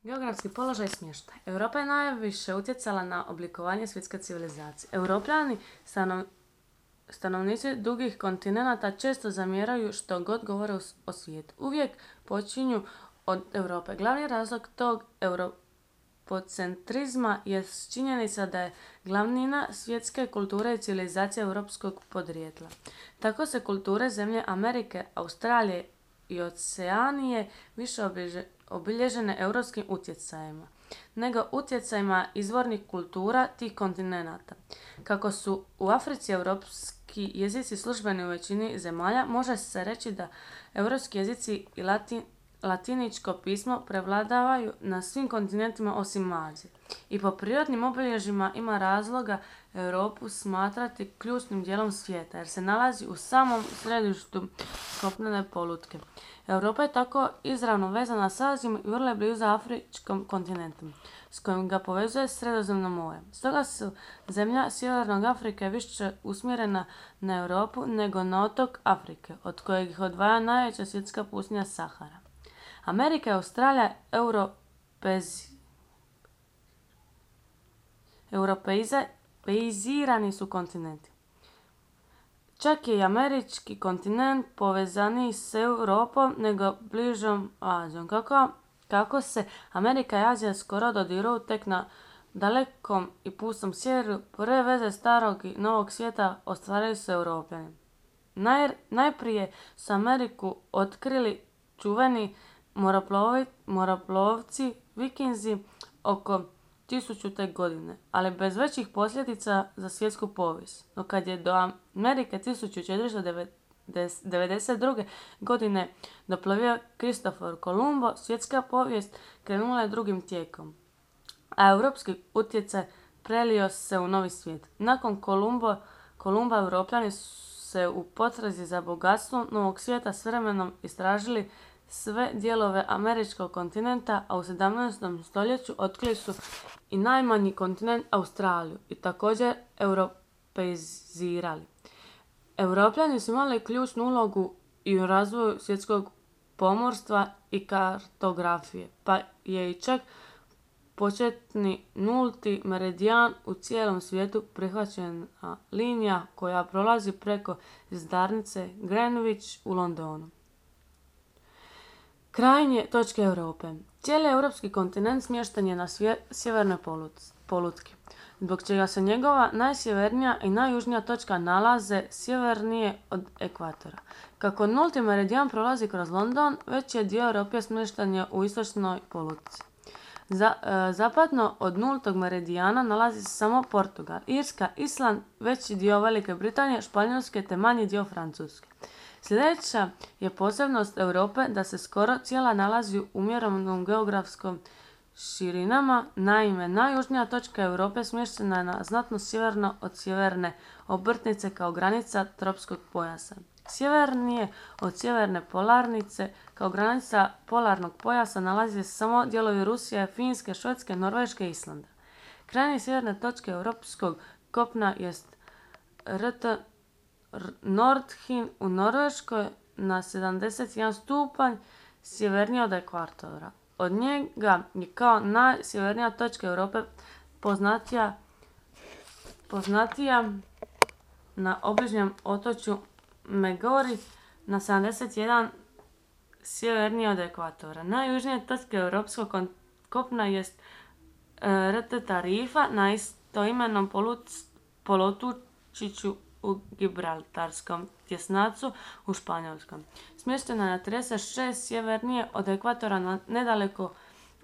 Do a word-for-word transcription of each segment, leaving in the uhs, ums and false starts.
Geografski položaj i smještaj. Europa je najviše utjecala na oblikovanje svjetske civilizacije. Europljani, stanov, stanovnici dugih kontinenata, često zamjeraju što god govore o svijetu. Uvijek počinju od Europe. Glavni razlog tog europocentrizma je činjenica da je glavnina svjetske kulture i civilizacije europskog podrijetla. Tako se kulture zemlje Amerike, Australije i Oceanije više obilježene europskim utjecajima nego utjecajima izvornih kultura tih kontinenata. Kako su u Africi europski jezici službeni u većini zemalja, može se reći da europski jezici i latin, latiničko pismo prevladavaju na svim kontinentima osim Azije. I po prirodnim obilježjima ima razloga Europu smatrati ključnim dijelom svijeta, jer se nalazi u samom središtu kopnene polutke. Europa je tako izravno vezana s Azijom i vrlo je blizu Afričkom kontinentu, s kojim ga povezuje Sredozemno more. Stoga su zemlja Sjevernog Afrike više usmjerena na Europu nego na otok Afrike, od kojeg ih odvaja najveća svjetska pustinja Sahara. Amerika i Australija europezi, europeizirani su kontinenti. Čak je i američki kontinent povezaniji s Europom nego bližom Azijom. Kako, kako se Amerika i Azija skoro dodiruju tek na dalekom i pustom sjeveru, prve veze starog i novog svijeta ostvarili su Europljani. Naj, najprije su Ameriku otkrili čuveni moroplovi, moroplovci Vikinzi oko tisućute godine, ali bez većih posljedica za svjetsku povijest. No kad je do Amerike tisuću četiristo devedeset druge. godine doplovio Kristofor Kolumbo, svjetska povijest krenula je drugim tijekom, a europski utjecaj prelio se u novi svijet. Nakon Kolumbo, Kolumba Europljani su se u potrazi za bogatstvom novog svijeta s vremenom istražili sve dijelove američkog kontinenta, a u sedamnaestom stoljeću otkrili su i najmanji kontinent Australiju i također europeizirali. Europljani su imali ključnu ulogu i u razvoju svjetskog pomorstva i kartografije, pa je i čak početni nulti meridijan u cijelom svijetu prihvaćena linija koja prolazi preko zvjezdarnice Greenwich u Londonu. Krajnje točke Europe. Cijeli europski kontinent smješten je na svje, sjevernoj polutki, zbog čega se njegova najsjevernija i najjužnija točka nalaze sjevernije od ekvatora. Kako nulti meridijan prolazi kroz London, veći je dio Europe smješten je u istočnoj polutci. Za, e, zapadno od nultog meridijana nalazi se samo Portugal, Irska, Island, veći dio Velike Britanije, Španjolske te manji dio Francuske. Sljedeća je posebnost Europe da se skoro cijela nalazi u umjerenom geografskom širinama. Naime, najjužnija točka Europe smještena je na znatno sjeverno od sjeverne obrtnice kao granica tropskog pojasa. Sjevernije od sjeverne polarnice kao granica polarnog pojasa nalazi se samo dijelovi Rusije, Finske, Švedske, Norveške i Islanda. Krajnje sjeverne točke europskog kopna jest rt Nordhin u Norveškoj na sedamdeset jedan stupanj sjevernije od ekvatora. Od njega je kao najsjevernija točka Europe poznatija, poznatija na obližnjem otočju Megori na sedamdeset jedan sjevernije od ekvatora. Najjužnija točka europskog kopna jest e, rt Tarifa na istoimenom poluotočiću u Gibraltarskom tjesnacu u Španjolskom. Smještena na trideset šest sjevernije od ekvatora na nedaleko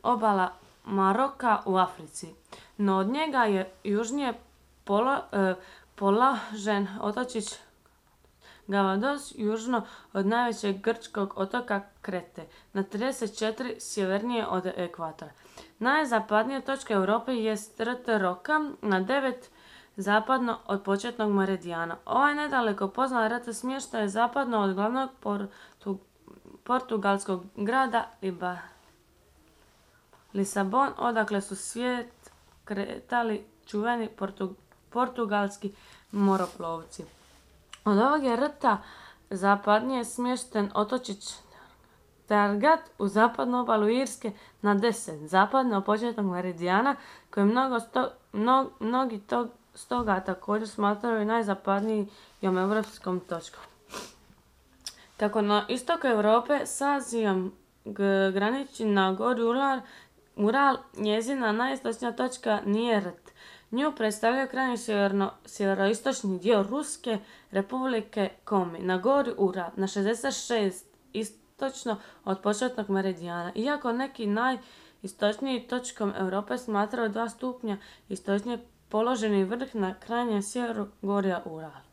obala Maroka u Africi. No od njega je južnije polo, e, položen otočić Gavados južno od najvećeg grčkog otoka Krete, na trideset četiri sjevernije od ekvatora. Najzapadnija točka Europe jest rt Roka na devet zapadno od početnog meridijana. Ovaj nedaleko poznat rt smještaj je zapadno od glavnog portu, portugalskog grada Liba, Lisabon, odakle su svijet kretali čuveni portu, portugalski moroplovci. Od ovog je rta zapadnije smješten otočić Stargard u zapadnu obalu Irske na deset, zapadno od početnog meridijana, koji mnogo sto, mno, mnogi tog, stoga također smatraju najzapadnijom europskom točkom. Kako na istoku Europe s Azijom graniči na gori Ural, Ural, njezina najistočnija točka nije rt. Nju predstavlja krajnji sjeverno, sjeveroistočni dio Ruske republike Komi, na gori Ural, na šezdeset šest istočno od početnog meridijana. Iako neki najistočniji točkom Europe smatraju dva stupnja istočnije položeni vrh na krajnjem sjeveru gorja Ural.